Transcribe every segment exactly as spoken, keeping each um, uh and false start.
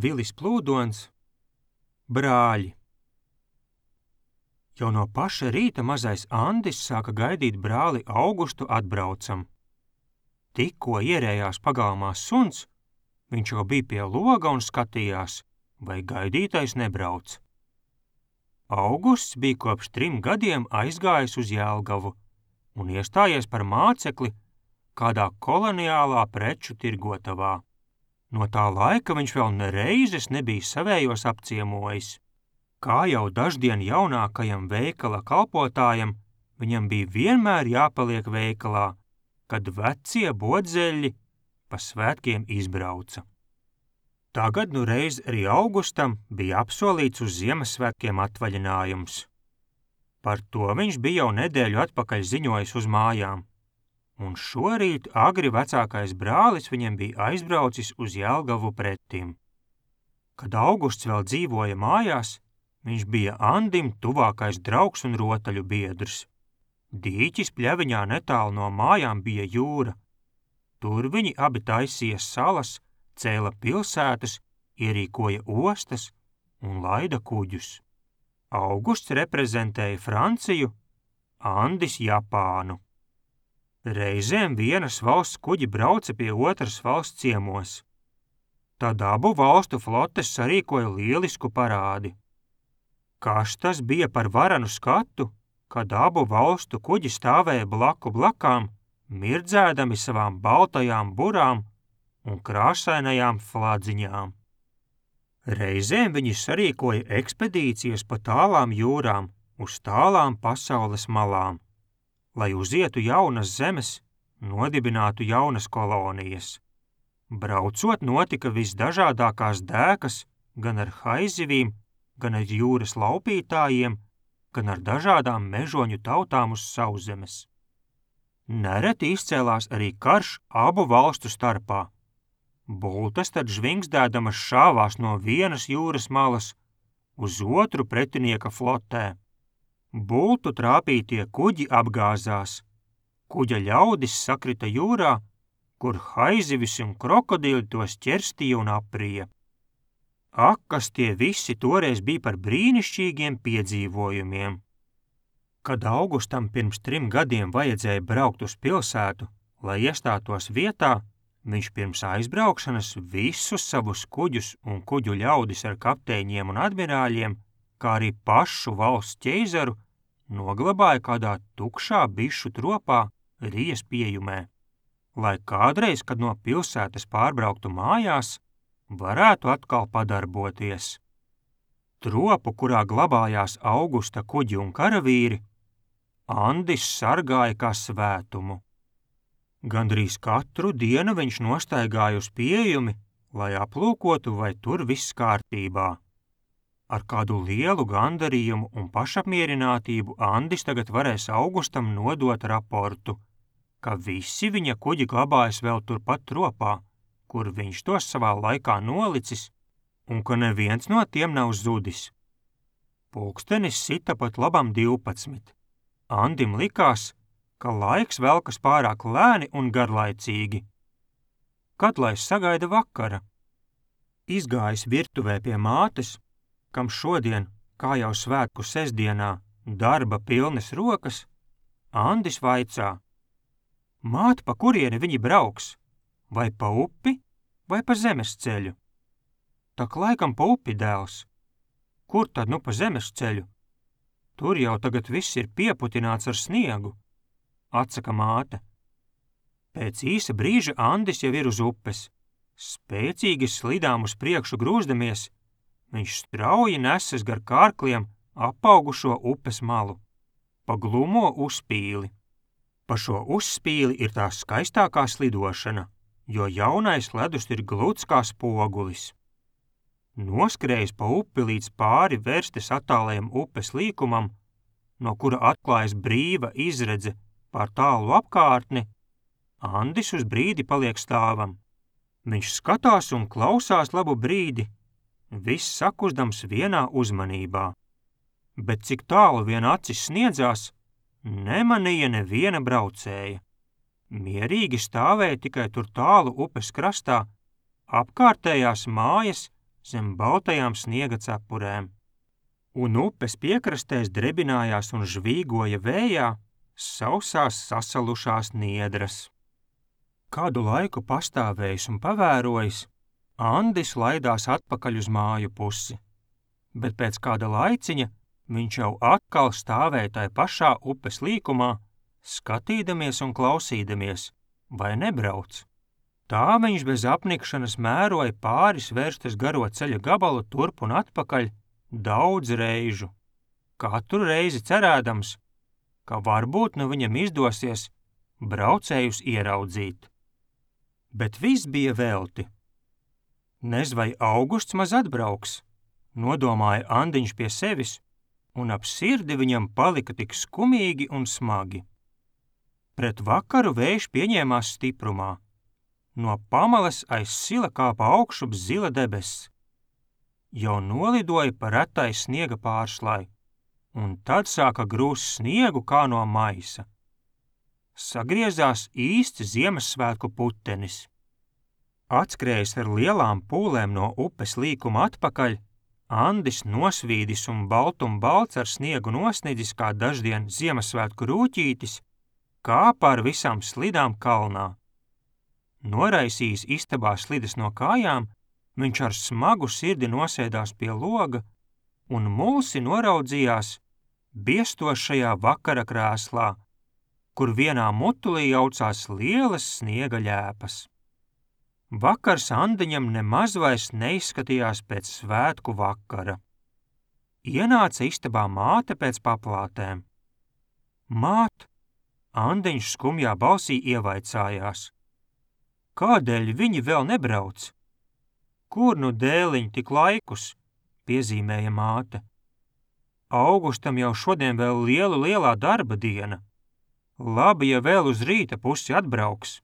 Vilis Plūdons, brāļi. Jau no paša rīta mazais Andis sāka gaidīt brāli Augustu atbraucam. Tikko ierējās pagalmā suns, viņš jau bija pie loga un skatījās, vai gaidītais nebrauc. Augusts bija kopš trim gadiem aizgājis uz Jelgavu un iestājies par mācekli kādā koloniālā preču tirgotavā. No tā laika viņš vēl nereizes nebija savējos apciemojis. Kā jau daždien jaunākajam veikala kalpotājam, viņam bija vienmēr jāpaliek veikalā, kad vecie bodzeļi pa svētkiem izbrauca. Tagad nu reiz arī Augustam bija apsolīts uz Ziemassvētkiem atvaļinājums. Par to viņš bija jau nedēļu atpakaļ ziņojis uz mājām. Un šorīt agri vecākais brālis viņam bija aizbraucis uz Jelgavu pretim. Kad Augusts vēl dzīvoja mājās, viņš bija Andim tuvākais draugs un rotaļu biedrs. Dīķis pļaviņā netālu no mājām bija jūra. Tur viņi abi taisīja salas, cēla pilsētas, ierīkoja ostas un laida kuģus. Augusts reprezentēja Franciju, Andis Japānu. Reizēm vienas valsts kuģi brauca pie otras valsts ciemos. Tad abu valstu flotes sarīkoja lielisku parādi. Kas tas bija par varanu skatu, kad abu valstu kuģi stāvēja blaku blakām, mirdzēdami savām baltajām burām un krāsainajām fladziņām. Reizēm viņi sarīkoja ekspedīcijas pa tālām jūrām uz tālām pasaules malām, lai uzietu jaunas zemes, nodibinātu jaunas kolonijas. Braucot notika visdažādākās dēkas, gan ar haizivīm, gan ar jūras laupītājiem, gan ar dažādām mežoņu tautām uz sauszemes. Nereti izcēlās arī karš abu valstu starpā. Bultas tad žvingstēdamas šāvās no vienas jūras malas uz otru pretinieka flotē. Bultu trāpītie kuģi apgāzās, kuģa ļaudis sakrita jūrā, kur haizivis un krokodili tos ķerstīja un aprija. Ak, kas tie visi toreiz bija par brīnišķīgiem piedzīvojumiem. Kad Augustam pirms trim gadiem vajadzēja braukt uz pilsētu, lai iestātos vietā, viņš pirms aizbraukšanas visus savus kuģus un kuģu ļaudis ar kapteiņiem un admirāļiem, kā arī pašu valsts ķeizaru, noglabāja kādā tukšā bišu tropā Rijas piejumē, lai kādreiz, kad no pilsētas pārbrauktu mājās, varētu atkal padarboties. Tropu, kurā glabājās Augusta kuģi un karavīri, Andis sargāja kā svētumu. Gandrīz katru dienu viņš nostaigāja uz pieejumi, lai aplūkotu, vai tur viss kārtībā. Ar kādu lielu gandarījumu un pašapmierinātību Andis tagad varēs Augustam nodot raportu, ka visi viņa kuģi glabājas vēl turpat tropā, kur viņš tos savā laikā nolicis, un ka neviens no tiem nav zudis. Pulkstenis sita pat labam divpadsmit. Andim likās, ka laiks velkas pārāk lēni un garlaicīgi. Kad lai sagaida vakara? Izgājis virtuvē pie mātes, kam šodien, kā jau svētku sestdienā, darba pilnas rokas, Andis vaicā: Māte, pa kurieni viņi brauks? Vai pa upi, vai pa zemes ceļu? Tak laikam pa upi, dēls. Kur tad nu pa zemes ceļu? Tur jau tagad viss ir pieputināts ar sniegu, atsaka māte. Pēc īsa brīža Andis jau ir uz upes. Spēcīgi slidām uz priekšu grūzdamies, viņš strauji nesas gar kārkliem apaugušo upes malu, pa glumo uzspīli. Pa šo uzspīli ir tā skaistākā slidošana, jo jaunais ledus ir gluds kā spogulis. Noskrējis pa upi līdz pāri vērstes attālajam upes līkumam, no kura atklājas brīva izredze pār tālu apkārtni, Andis uz brīdi paliek stāvam. Viņš skatās un klausās labu brīdi, viss sakustams vienā uzmanībā. Bet cik tālu vien acis sniedzās, nemanīja neviena braucēja. Mierīgi stāvēja tikai tur tālu upes krastā, apkārtējās mājas zem baltajām sniega cepurēm, un upes piekrastēs drebinājās un žvīgoja vējā sausās sasalušās niedras. Kādu laiku pastāvējis un pavērojis, Andis laidās atpakaļ uz māju pusi, bet pēc kāda laiciņa viņš jau atkal stāvēja tai pašā upes līkumā, skatīdamies un klausīdamies, vai nebrauc. Tā viņš bez apnikšanas mēroja pāris vērstas garo ceļa gabalu turp un atpakaļ daudz reižu, katru reizi cerēdams, ka varbūt nu viņam izdosies braucējus ieraudzīt. Bet viss bija velti. Nez vai Augusts maz atbrauks, nodomāja Andiņš pie sevis, un ap sirdi viņam palika tik skumīgi un smagi. Pret vakaru vējš pieņēmās stiprumā. No pamalas aiz sila kāpa augšup zila debesis. Jau nolidoja pa retai sniega pārslai, un tad sāka grūst sniegu kā no maisa. Sagriezās īsts Ziemassvētku putenis. Atskrējis ar lielām pūlēm no upes līkuma atpakaļ, Andis nosvīdis un baltum balts ar sniegu nosnidzis kā daždien Ziemassvētku rūķītis, kāpa ar visām slidām kalnā. Noraisījis istabā slidas no kājām, viņš ar smagu sirdi nosēdās pie loga un mulsi noraudzījās biestošajā vakara krēslā, kur vienā mutulī jaucās lielas sniega ļēpas. Vakars Andiņam nemaz vairs neizskatījās pēc svētku vakara. Ienāca istabā māte pēc paplātēm. Māt, Andiņš skumjā balsī ievaicājās. Kādēļ viņi vēl nebrauc? Kur nu dēliņ tik laikus, piezīmēja māte. Augustam jau šodien vēl lielu lielā darba diena. Labi, ja vēl uz rīta pusi atbrauks.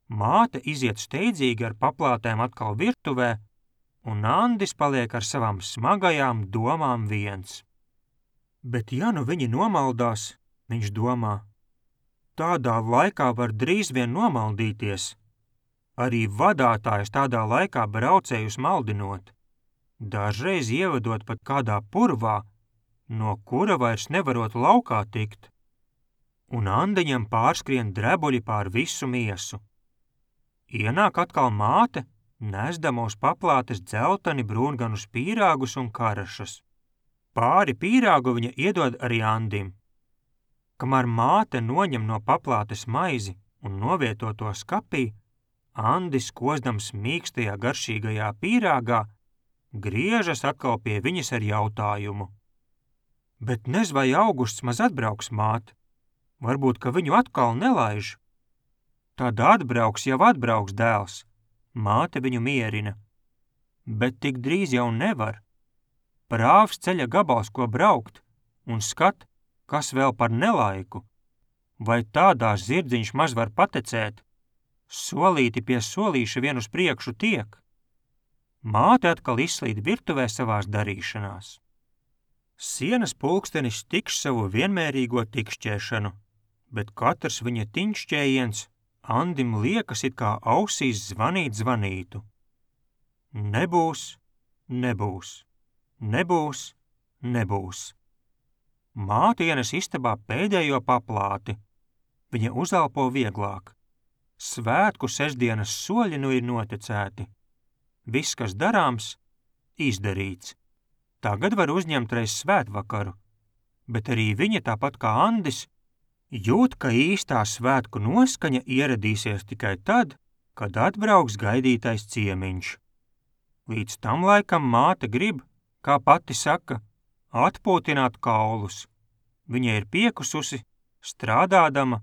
Māte iziet steidzīgi ar paplātēm atkal virtuvē, un Andis paliek ar savām smagajām domām viens. Bet ja nu viņi nomaldās, viņš domā, tādā laikā var drīz vien nomaldīties. Arī vadātājs tādā laikā braucējus maldinot, dažreiz ievedot pat kādā purvā, no kura vairs nevarot laukā tikt. Un Andiņam pārskrien drebuļi pār visu miesu. Ienāk atkal māte, nesdama uz paplātes dzelteni brūnganus pīrāgus un karašas. Pāri pīrāgu viņa iedod arī Andim. Kamēr māte noņem no paplātes maizi un novieto to skapī, Andis, kozdams mīkstajā garšīgajā pīrāgā, griežas atkal pie viņas ar jautājumu. Bet nez vai Augusts maz atbrauks, māte? Varbūt, ka viņu atkal nelaiž. Tad atbrauks jau atbrauks dēls, māte viņu mierina. Bet tik drīz jau nevar. Prāvs ceļa gabals, ko braukt, un skat, kas vēl par nelaiku. Vai tādā zirdziņš maz var patecēt? Solīti pie solīša vien uz priekšu tiek. Māte atkal izslīd virtuvē savās darīšanās. Sienas pulkstenis tikš savu vienmērīgo tikšķēšanu, bet katrs viņa tiņšķējiens Andim liekas it kā ausīs zvanīt zvanītu. Nebūs, nebūs, nebūs, nebūs. Māte ienes istabā pēdējo paplāti. Viņa uzelpo vieglāk. Svētku sestdienas soļi nu ir noticēti. Viss, kas darāms, izdarīts. Tagad var uzņemt reiz svētvakaru, bet arī viņa tāpat kā Andis jūt, ka īstā svētku noskaņa ieradīsies tikai tad, kad atbrauks gaidītais ciemiņš. Līdz tam laikam māte grib, kā pati saka, atpūtināt kaulus. Viņa ir piekususi, strādādama,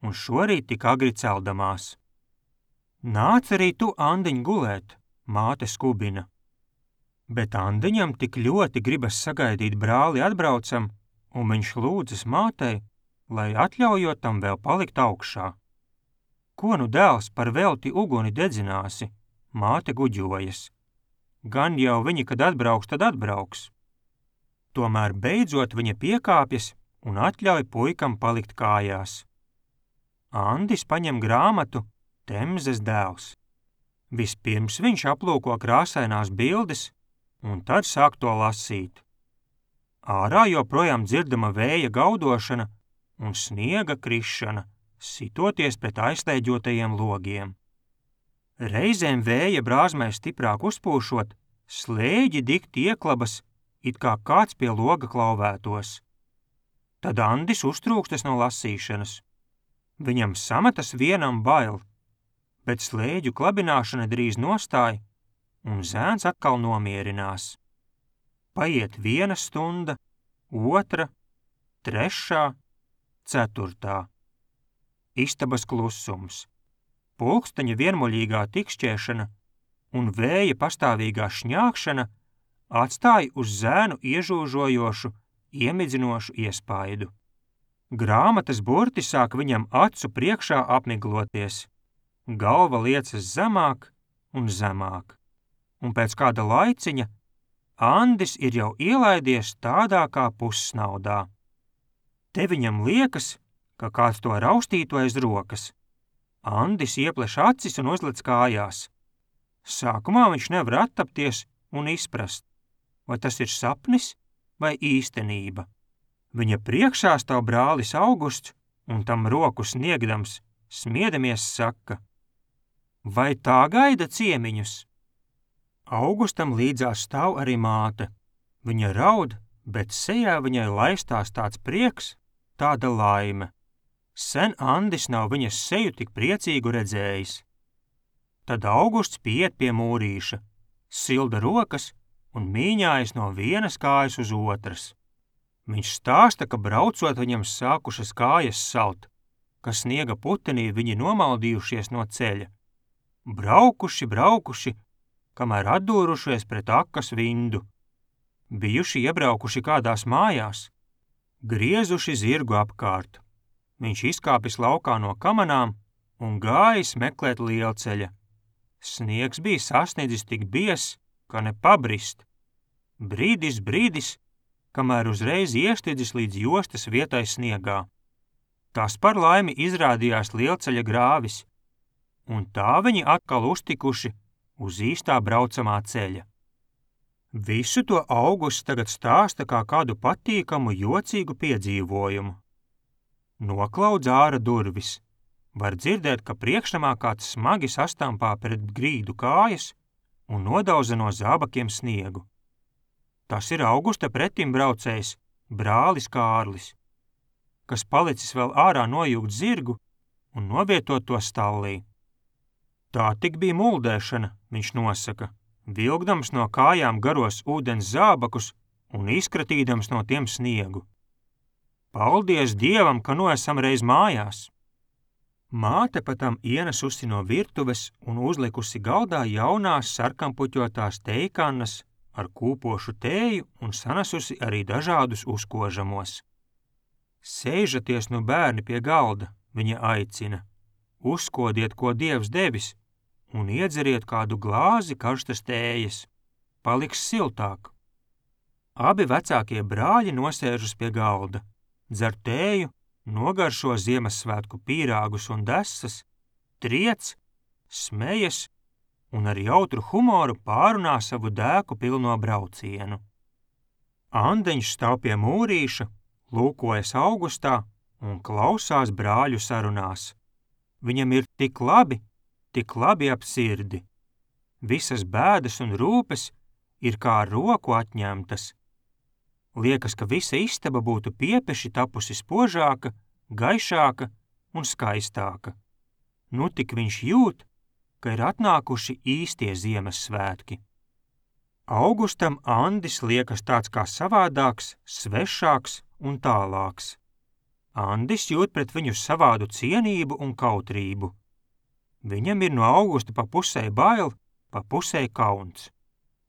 un šorīt tik agri celdamās. Nāc arī tu, Andiņ, gulēt, māte skubina. Bet Andiņam tik ļoti gribas sagaidīt brāli atbraucam, un viņš lūdzas mātei, lai atļaujot tam vēl palikt augšā. Ko nu dēls par velti uguni dedzināsi, māte guģojas. Gan jau viņi, kad atbrauks, tad atbrauks. Tomēr beidzot viņa piekāpjas un atļauj puikam palikt kājās. Andis paņem grāmatu Temzes dēls. Vispirms viņš aplūko krāsainās bildes un tad sāk to lasīt. Ārā joprojām dzirdama vēja gaudošana un sniega krišana, sitoties pret aizslēģotajiem logiem. Reizēm vēja brāzmai stiprāk uzpūšot, slēģi dikti ieklabas, it kā kāds pie loga klauvētos. Tad Andis uztrūkstas no lasīšanas. Viņam sametas vienam bail, bet slēģu klabināšana drīz nostāja, un zēns atkal nomierinās. Paiet viena stunda, otra, trešā, ceturtā. Istabas klusums, pulksteņa vienmuļīgā tikšķēšana un vēja pastāvīgā šņākšana atstāja uz zēnu iežūžojošu, iemidzinošu iespaidu. Grāmatas burti sāk viņam acu priekšā apmigloties, galva liecas zemāk un zemāk, un pēc kāda laiciņa Andis ir jau ielaidies tādā kā pussnaudā. Te viņam liekas, ka kāds to raustītu aiz rokas. Andis iepleš acis un uzlec kājās. Sākumā viņš nevar attapties un izprast, vai tas ir sapnis vai īstenība. Viņa priekšā stāv brālis Augusts un tam roku sniegdams, smiedamies saka: vai tā gaida ciemiņus? Augustam līdzās stāv arī māte. Viņa raud, bet sejā viņai laistās tāds prieks, tāda laime. Sen Andis nav viņas seju tik priecīgu redzējis. Tad Augusts pieiet pie mūrīša, silda rokas un mīņājas no vienas kājas uz otras. Viņš stāsta, ka braucot viņam sākušas kājas salt, ka sniega putenī viņi nomaldījušies no ceļa. Braukuši, braukuši, kamēr atdūrušies pret akas vindu. Bijuši iebraukuši kādās mājās, griezuši zirgu apkārt. Viņš izkāpis laukā no kamanām un gājis meklēt lielceļa. Sniegs bija sasniedzis tik biezs, ka ne pabrist. Brīdis, brīdis, kamēr uzreiz iestidzis līdz jostas vietai sniegā. Tas par laimi izrādījās lielceļa grāvis, un tā viņi atkal uztikuši uz īstā braucamā ceļa. Visu to Augusts tagad stāsta kā kādu patīkamu, jocīgu piedzīvojumu. Noklaudz āra durvis. Var dzirdēt, ka priekšnamā kāds smagi sastampā pret grīdu kājas un nodauza no zābakiem sniegu. Tas ir Augusta pretimbraucējs, brālis Kārlis, kas palicis vēl ārā nojūgt zirgu un novietot to stallī. Tā tik bija muldēšana, viņš nosaka, vilkdams no kājām garos ūdens zābakus un izkratīdams no tiem sniegu. Paldies Dievam, ka nu esam reiz mājās! Māte patam ienesusi no virtuves un uzlikusi galdā jaunās sarkanpuķotās teikannas ar kūpošu tēju un sanesusi arī dažādus uzkožamos. Sēžaties nu bērni pie galda, viņa aicina. Uzkodiet, ko Dievs devis, un iedzeriet kādu glāzi karstas tējas. Paliks siltāk. Abi vecākie brāļi nosēžas pie galda, dzer tēju, nogaršo Ziemassvētku pīrāgus un desas, triec, smejas un ar jautru humoru pārunā savu dēku pilno braucienu. Andeņš stāv pie mūrīša, lūkojas Augustā un klausās brāļu sarunās. Viņam ir tik labi, tik labi ap sirdi. Visas bēdas un rūpes ir kā ar roku atņemtas. Liekas, ka visa istaba būtu piepeši tapusi spožāka, gaišāka un skaistāka. Nu tik viņš jūt, ka ir atnākuši īstie Ziemassvētki. Augustam Andis liekas tāds kā savādāks, svešāks un tālāks. Andis jūt pret viņu savādu cienību un kautrību. Viņam ir no Augusta pa pusē bail, pa pusē kauns.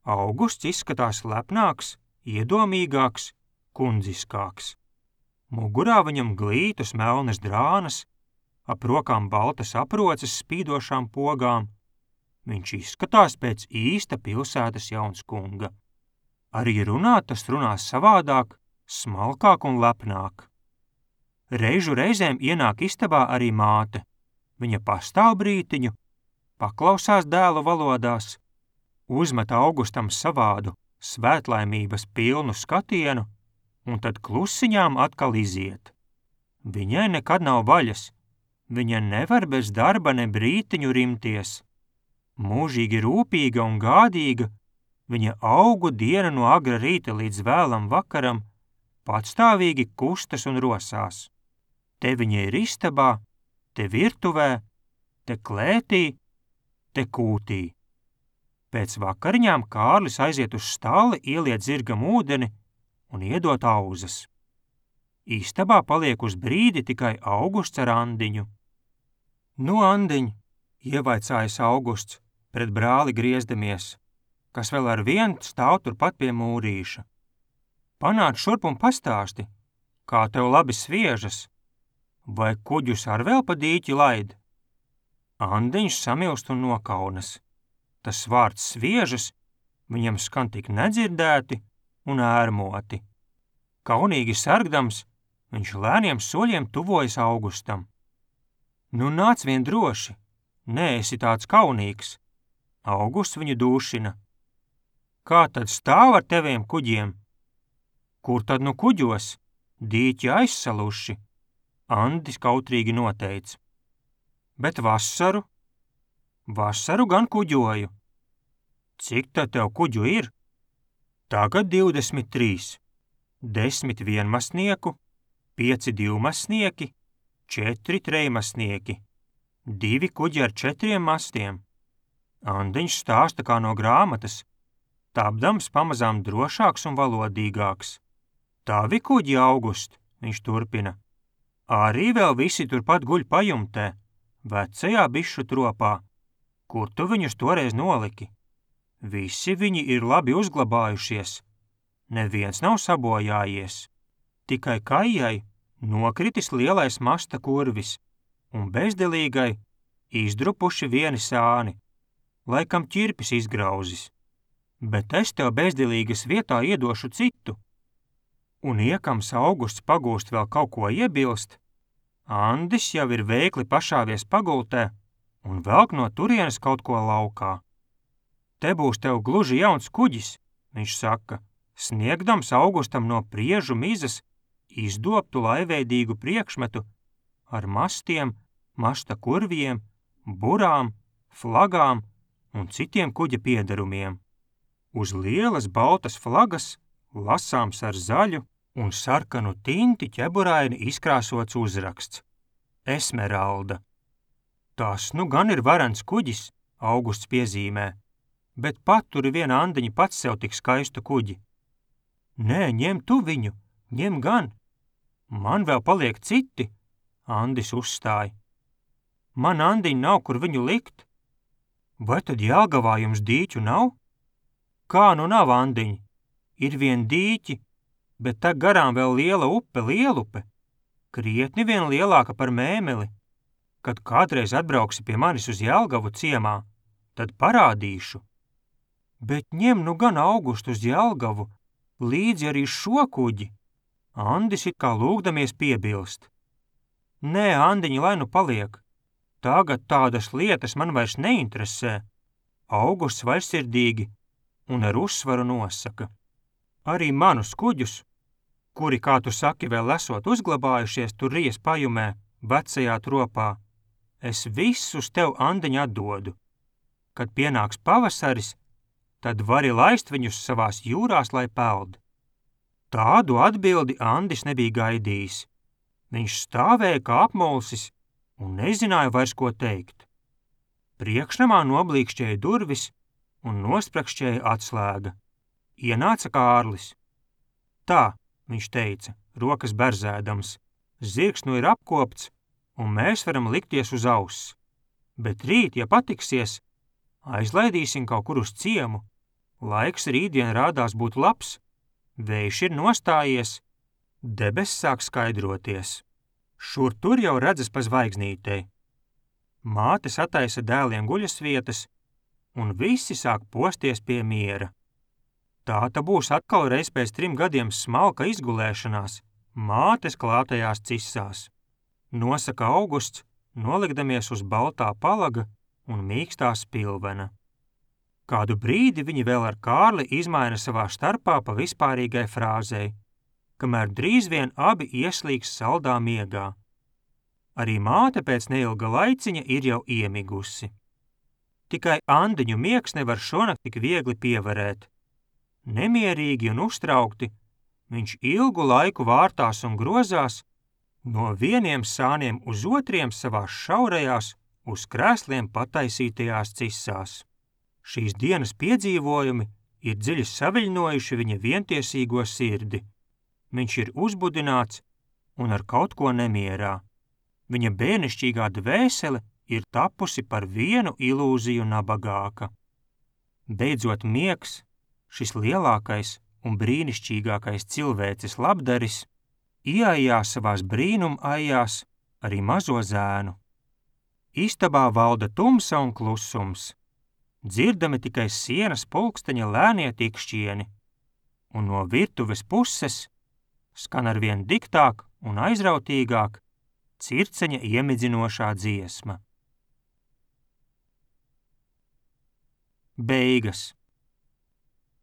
Augusts izskatās lepnāks, iedomīgāks, kundziskāks. Mugurā viņam glītas melnas drānas, ap rokām baltas aproces spīdošām pogām. Viņš izskatās pēc īsta pilsētas jaunskunga. Arī runāt tas runās savādāk, smalkāk un lepnāk. Reižu reizēm ienāk istabā arī māte. Viņa pastāv brītiņu, paklausās dēlu valodās, uzmet Augustam savādu, svētlaimības pilnu skatienu un tad klusiņām atkal iziet. Viņai nekad nav vaļas, viņa nevar bez darba ne brītiņu rimties. Mūžīgi rūpīga un gādīga, viņa augu dienu no agra rīta līdz vēlam vakaram, patstāvīgi kustas un rosās. Te viņa ir istabā, te virtuvē, te klētī, te kūtī. Pēc vakariņām Kārlis aiziet uz stalli, ieliet zirgam ūdeni un iedot auzas. Istabā paliek uz brīdi tikai Augusts ar Andiņu. Nu, Andiņ, ievaicājas Augusts, pret brāli griezdamies, kas vēl ar vienu stāv turpat pie mūrīša. Panāc šurp un pastāsti, kā tev labi sviežas, vai kuģus ar vēl pa dīķi laid? Andiņš samilst un nokaunas. Tas vārds sviežas viņam skan tik nedzirdēti un ērmoti. Kaunīgi sargdams, viņš lēniem soļiem tuvojas Augustam. Nu nāc vien droši, neesi tāds kaunīgs. Augusts viņu dūšina. Kā tad stāv ar teviem kuģiem? Kur tad nu kuģos? Dīķi aizsaluši, Andis kautrīgi noteica. Bet vasaru? Vasaru gan kuģoju. Cik tad tev kuģu ir? Tagad divdesmit trīs. Desmit vienmasnieku, pieci divmasnieki, četri trejmasnieki, divi kuģi ar četriem mastiem. Andiņš stāsta kā no grāmatas, tapdams pamazām drošāks un valodīgāks. Tavi kuģi, August, viņš turpina. Arī vēl visi turpat guļ pajumtē, vecajā bišu tropā. Kur tu viņus toreiz noliki? Visi viņi ir labi uzglabājušies. Neviens nav sabojājies. Tikai Kajai nokritis lielais masta kurvis un bezdelīgai izdrupuši vieni sāni, laikam ķirpis izgrauzis. Bet es tev bezdelīgas vietā iedošu citu. Un iekams Augusts pagūst vēl kaut ko iebilst, Andis jau ir veikli pašāvies pagultē un velk no turienes kaut ko laukā. Te būs tev gluži jauns kuģis, viņš saka, sniegdams Augustam no priežu mizas izdobtu laiveidīgu priekšmetu ar mastiem, masta kurviem, burām, flagām un citiem kuģa piederumiem. Uz lielas baltas flagas lasāms ar zaļu un sarkanu tinti ķeburaini izkrāsots uzraksts – Esmeralda. Tas nu gan ir varens kuģis, Augusts piezīmē, bet paturi viena Andiņa pats sev tik skaistu kuģi. Nē, ņem tu viņu, ņem gan. Man vēl paliek citi, Andis uzstāja. Man Andiņa nav, kur viņu likt. Vai tad Jelgavā jums dīķu nav? Kā nu nav, Andiņa? Ir vien dīķi, bet tā garām vēl liela upe, Lielupe, krietni vien lielāka par Mēmeli. Kad kādreiz atbrauksi pie manis uz Jelgavu ciemā, tad parādīšu. Bet ņem nu gan Augustu uz Jelgavu, līdzi arī šo kuģi. Andis it kā lūgdamies piebilst. Nē, Andiņa, lai nu paliek. Tagad tādas lietas man vairs neinteresē. Augusts vaļsirdīgi un ar uzsvaru nosaka. Arī manus kuģus, kuri, kā tu saki, vēl esot uzglabājušies tur Rijas pajumē, vecajā tropā, es visus tev, Andiņa, atdodu. Kad pienāks pavasaris, tad vari laist viņus savās jūrās, lai peld. Tādu atbildi Andis nebija gaidījis. Viņš stāvēja kā apmulsis un nezināja vairs, ko teikt. Priekšnamā noblīkšķēja durvis un nosprakšķēja atslēga. Ienāca Kārlis. Tā, viņš teica, rokas berzēdams, zirgs nu ir apkopts, un mēs varam likties uz auss. Bet rīt, ja patiksies, aizlaidīsim kaut kur uz ciemu. Laiks rītdien rādās būt labs, vējš ir nostājies, debes sāk skaidroties. Šur tur jau redzas pa zvaigznītei. Māte sataisa dēliem guļas vietas, un visi sāk posties pie miera. Tāta būs atkal reiz pēc trim gadiem smalka izgulēšanās, mātes klātajās cisās. Nosaka Augusts, nolikdamies uz baltā palaga un mīkstā spilvena. Kādu brīdi viņi vēl ar Kārli izmaina savā starpā pa vispārīgai frāzei, kamēr drīz vien abi ieslīgs saldā miegā. Arī māte pēc neilga laiciņa ir jau iemigusi. Tikai Andiņu miegs nevar šonakt tik viegli pievarēt. Nemierīgi un uztraukti, viņš ilgu laiku vārtās un grozās, no vieniem sāniem uz otriem savās šaurajās, uz krēsliem pataisītajās cisās. Šīs dienas piedzīvojumi ir dziļi saviļņojuši viņa vientiesīgo sirdi. Viņš ir uzbudināts un ar kaut ko nemierā. Viņa bērnišķīgā dvēsele ir tapusi par vienu ilūziju nabagāka. Beidzot miegs, šis lielākais un brīnišķīgākais cilvēces labdaris, ieaijās savās brīnum aijās arī mazo zēnu. Istabā valda tumsa un klusums. Dzirdami tikai sienas pulksteņa lēnie tikšķieni, un no virtuves puses skan arvien diktāk un aizrautīgāk circeņa iemidzinošā dziesma. Beigas.